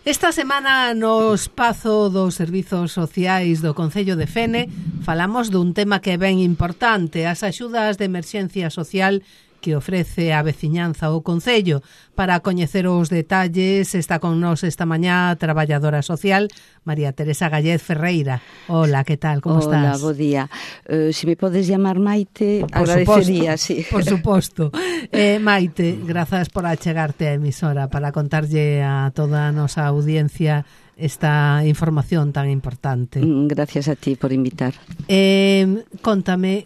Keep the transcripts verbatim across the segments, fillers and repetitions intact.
Esta semana no espazo dos servizos sociais do Concello de Fene falamos dun tema que é ben importante, as axudas de emerxencia social que ofrece a veciñanza ao Concello. Para coñecer os detalles está con nós esta mañá a traballadora social María Teresa Gallez Ferreira. Hola, que tal? Como Hola, estás? Hola, bo día. Uh, se me podes llamar Maite, por agradecería, suposto, sí. Por suposto. Eh, Maite, grazas por achegarte a emisora para contarlle a toda a nosa audiencia esta información tan importante. Gracias a ti por invitar. Eh, contame,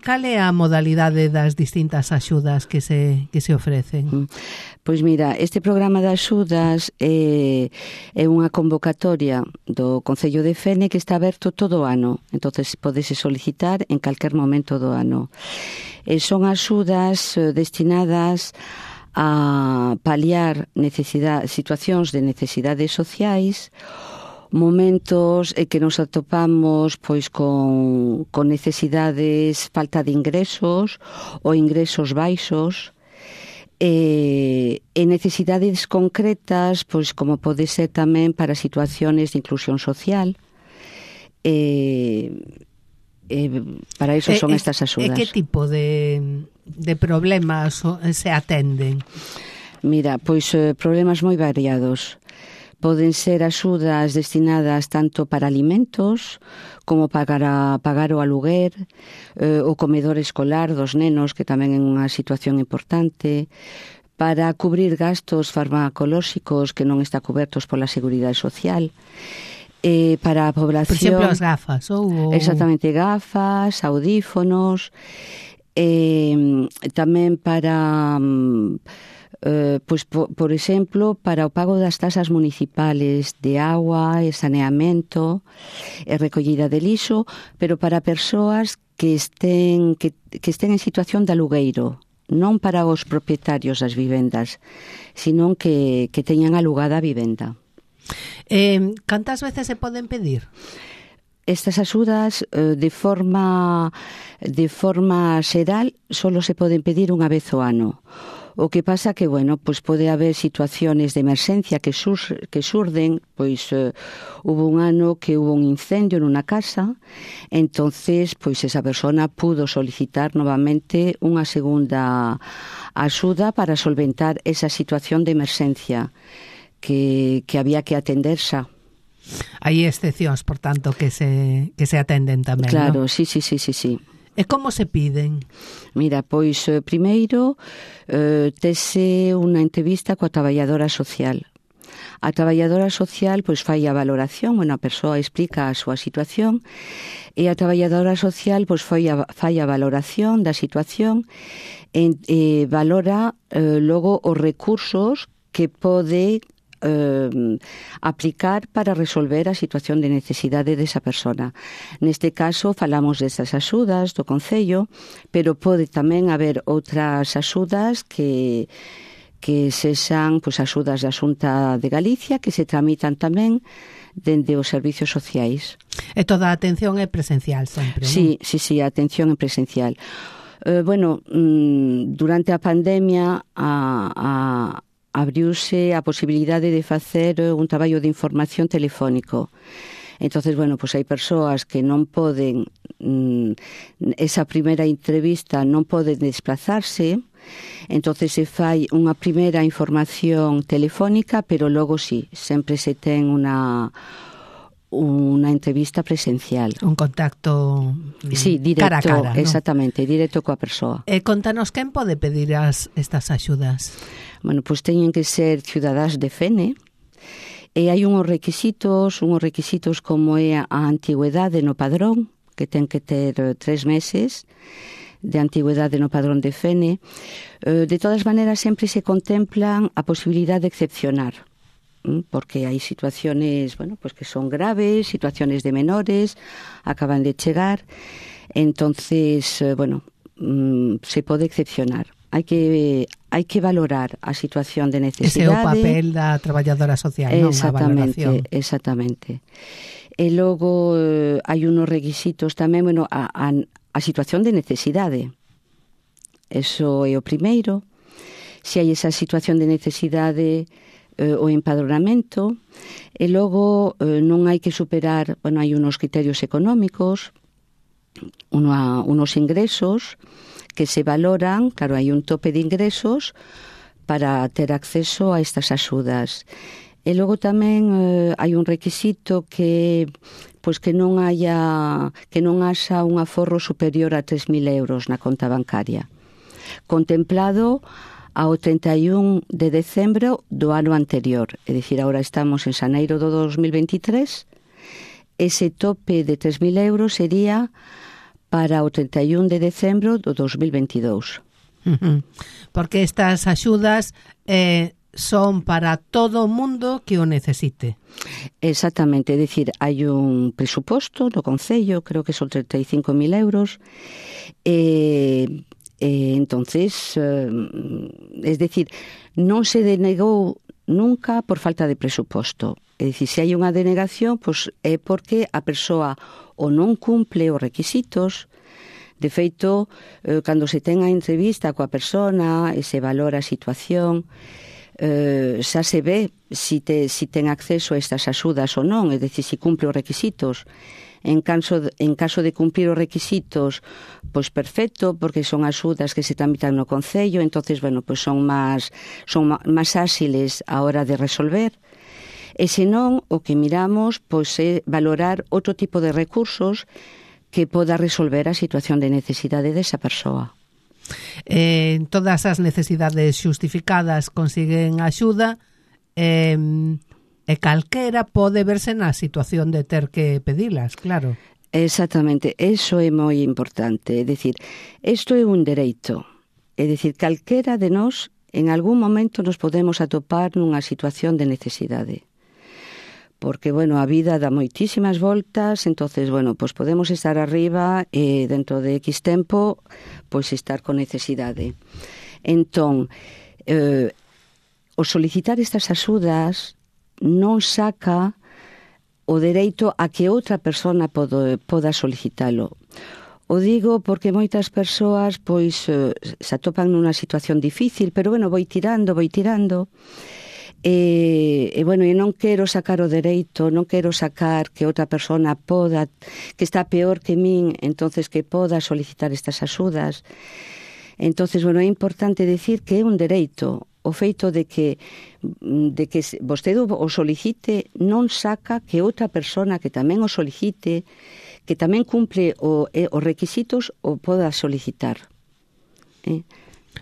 cal é a modalidade das distintas axudas que se, que se ofrecen? Pois mira, este programa de axudas é, é unha convocatoria do Concello de Fene que está aberto todo o ano. Entonces podese solicitar en calquer momento do ano. E son axudas destinadas a paliar necesidade, situacións de necesidades sociais, momentos en que nos atopamos pois con, con necesidades, falta de ingresos ou ingresos baixos, e, e necesidades concretas, pois como pode ser tamén para situaciones de inclusión social. E, e para iso son e, estas axudas. E que tipo de, de problemas se atenden? Mira, pois eh, problemas moi variados. Poden ser axudas destinadas tanto para alimentos como para pagar o aluguer, eh, o comedor escolar dos nenos, que tamén é unha situación importante, para cubrir gastos farmacolóxicos que non está cobertos pola Seguridade Social, eh, para a población... Por exemplo, as gafas, ou... Exactamente, gafas, audífonos, eh, tamén para... Uh, pois, por, por exemplo, para o pago das tasas municipales de agua e saneamento e recollida de lixo, pero para persoas que estén, que, que estén en situación de alugueiro, non para os propietarios das vivendas, sino que, que teñan alugada a vivenda. Eh, cantas veces se poden pedir? Estas axudas eh, de forma de forma xeral solo se poden pedir unha vez ao ano. O que pasa que, bueno, pois pode haber situaciones de emerxencia que, sur, que surden, pois eh, hubo un ano que hubo un incendio nunha casa, entonces, pois esa persona pudo solicitar novamente unha segunda axuda para solventar esa situación de emerxencia que, que había que atender xa. Hai excepcións, por tanto, que se, que se atenden tamén, claro, ¿no? sí, sí, sí, sí, sí. E como se piden? Mira, pois, eh, primeiro, eh, tese unha entrevista coa traballadora social. A traballadora social, pois, fai a valoración, bueno, a persoa explica a súa situación, e a traballadora social, pois, fai a, fai a valoración da situación e, e valora eh, logo os recursos que pode Eh, aplicar para resolver a situación de necesidade desa persona. Neste caso falamos desas axudas do Concello, pero pode tamén haber outras axudas que que sexan pois, axudas da Xunta de Galicia que se tramitan tamén dende os servizos sociais. E toda a atención é presencial sempre, non? Sí, sí, sí, a atención é presencial. Eh, bueno, durante a pandemia a, a abriuse a posibilidade de facer un traballo de información telefónico. Entonces, bueno, pues hai persoas que non poden, mm, esa primeira entrevista non poden desplazarse, entonces se fai unha primeira información telefónica, pero logo sí, sempre se ten unha unha entrevista presencial. Un contacto sí, directo, cara a cara, ¿no? Exactamente, directo coa persoa. E contanos, quen pode pedir as, estas axudas? Bueno, pois teñen que ser ciudadás de Fene, e hai unhos requisitos, unhos requisitos como é a antigüedade no padrón, que ten que ter tres meses de antigüedade no padrón de Fene. De todas maneiras, sempre se contemplan a posibilidade de excepcionar, porque hai situaciones, bueno, pues que son graves, situaciones de menores, acaban de chegar, entonces, bueno, se pode excepcionar. Hai que hai que valorar a situación de necesidade. Ese é o papel da traballadora social, non? A valoración. Exactamente. E logo eh, hai unos requisitos tamén, bueno, a, a, a situación de necesidade. Eso é o primeiro. Se hai esa situación de necesidade, eh, o empadronamento, E logo eh, non hai que superar, bueno, hai unos criterios económicos, una, unos ingresos que se valoran, claro, hai un tope de ingresos para ter acceso a estas axudas. E logo tamén eh, hai un requisito que pois que non haya que non haxa un aforro superior a tres mil euros na conta bancaria, contemplado ao trinta e un de decembro do ano anterior, é dicir, agora estamos en xaneiro do dos mil veintitrés, ese tope de tres mil euros sería para o trinta e un de decembro do dos mil veintidós. Uh-huh. Porque estas axudas eh, son para todo o mundo que o necesite. Exactamente, é dicir, hai un presuposto no Concello, creo que son trinta e cinco mil euros, e... Eh, entonces, eh, es decir, non se denegou nunca por falta de presuposto. É dicir, se hai unha denegación, pois é porque a persoa ou non cumple os requisitos. De feito, eh, cando se ten a entrevista coa persona e se valora a situación, eh, xa se ve si, te, si ten acceso a estas axudas ou non, é dicir, si cumple os requisitos. En caso, de, en caso de cumplir os requisitos, pois perfecto, porque son axudas que se tramitan no Concello, entonces, bueno, pois son máis son máis áxiles a hora de resolver. E senón, o que miramos pois é valorar outro tipo de recursos que poda resolver a situación de necesidade desa persoa. Eh, todas as necesidades xustificadas consiguen axuda, eh, e calquera pode verse na situación de ter que pedilas, claro. Exactamente, eso é moi importante. É dicir, isto é un dereito. É dicir, calquera de nós en algún momento nos podemos atopar nunha situación de necesidade. Porque, bueno, a vida dá moitísimas voltas, entonces, bueno, pois podemos estar arriba e dentro de X tempo, pois estar con necesidade. Entón, eh, o solicitar estas axudas non saca o dereito a que outra persona podo, poda solicitalo. O digo porque moitas persoas pois se atopan nunha situación difícil, pero bueno, voi tirando, voi tirando. E, e bueno, e non quero sacar o dereito, non quero sacar que outra persona poda, que está peor que min, entonces que poda solicitar estas axudas. Entonces, bueno, é importante decir que é un dereito. O feito de que de que vostede o solicite non saca que outra persona que tamén o solicite, que tamén cumple o, eh, os requisitos, o poda solicitar. Eh?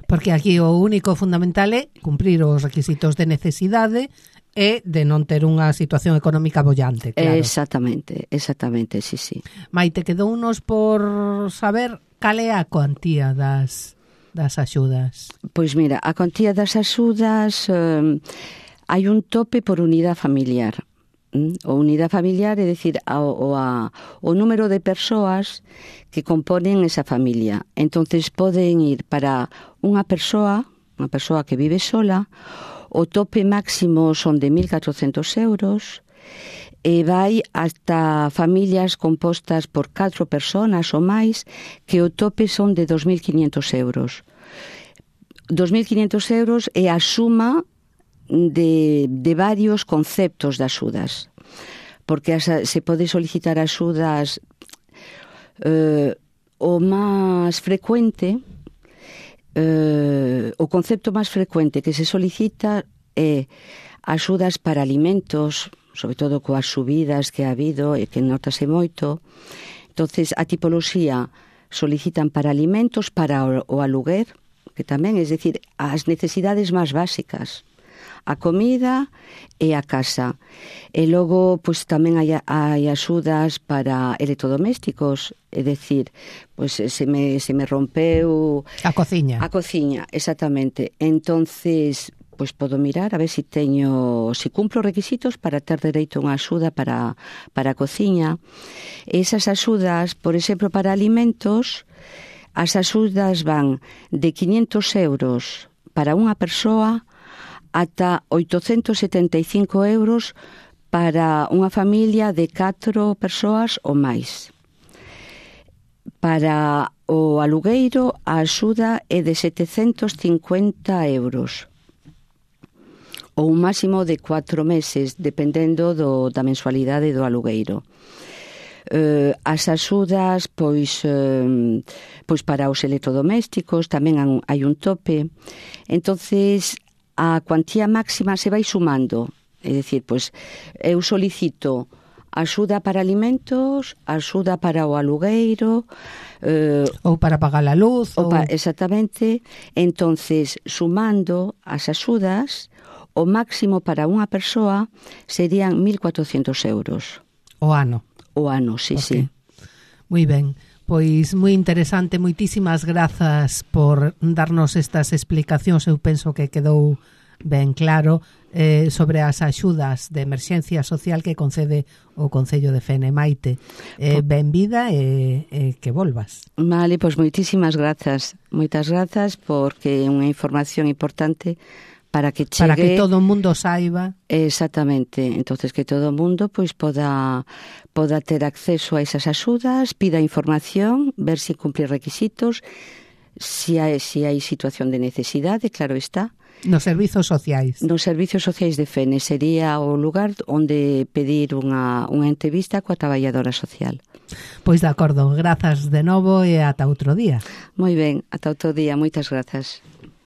Porque aquí o único fundamental é cumprir os requisitos de necesidade e de non ter unha situación económica bollante, claro. Exactamente, exactamente, sí, sí. Maite, quedou unos por saber cal é a cuantía das... das axudas? Pois mira, a cuantía das axudas eh, hai un tope por unidade familiar. O unidade familiar é dicir o, o, a, o número de persoas que componen esa familia. Entonces poden ir para unha persoa, unha persoa que vive sola, o tope máximo son de mil catrocentos euros, e vai hasta familias compostas por catro persoas ou máis, que o tope son de dos mil quinhentos euros. dos mil quinhentos euros é a suma de, de varios conceptos de axudas, porque as, se pode solicitar axudas eh, o máis frecuente, eh, o concepto máis frecuente que se solicita é axudas para alimentos, sobre todo coas subidas que ha habido e que notase moito. Entonces, a tipoloxía solicitan para alimentos, para o, o aluguer, que tamén, é dicir, as necesidades máis básicas, a comida e a casa. E logo, pois tamén hai, hai axudas para electrodomésticos, é dicir, pois se me, se me rompeu... A cociña. A cociña, exactamente. Entonces, pois podo mirar a ver se si teño, se si cumplo requisitos para ter dereito a unha axuda para, para a cociña. E esas axudas, por exemplo, para alimentos, as axudas van de quinhentos euros para unha persoa ata oitocentos setenta e cinco euros para unha familia de catro persoas ou máis. Para o alugueiro, a axuda é de setecentos cincuenta euros. ou un máximo de cuatro meses, dependendo do, da mensualidade do alugueiro. Uh, as axudas, pois, uh, pois para os electrodomésticos tamén hai un tope. Entonces, a cuantía máxima se vai sumando. É dicir, pois, eu solicito axuda para alimentos, axuda para o alugueiro, uh, ou para pagar a luz, ou... Pa, exactamente. Entonces, sumando as axudas, o máximo para unha persoa serían mil cuatrocentos euros. O ano. O ano, sí, okay. sí. Moi ben, pois moi interesante, moitísimas grazas por darnos estas explicacións, eu penso que quedou ben claro eh, sobre as axudas de emerxencia social que concede o Concello de Fene. Maite, eh, ben vida e eh, que volvas. Vale, pois moitísimas grazas, moitas grazas porque é unha información importante para que chegue, para que todo o mundo saiba. Exactamente, entonces que todo o mundo pois poda poda ter acceso a esas axudas, pida información, ver se cumpre requisitos, se hai, se hai situación de necesidade, claro está. Nos servizos sociais. Nos servizos sociais de Fene sería o lugar onde pedir unha, unha entrevista coa traballadora social. Pois de acordo, grazas de novo e ata outro día. Moi ben, ata outro día, moitas grazas.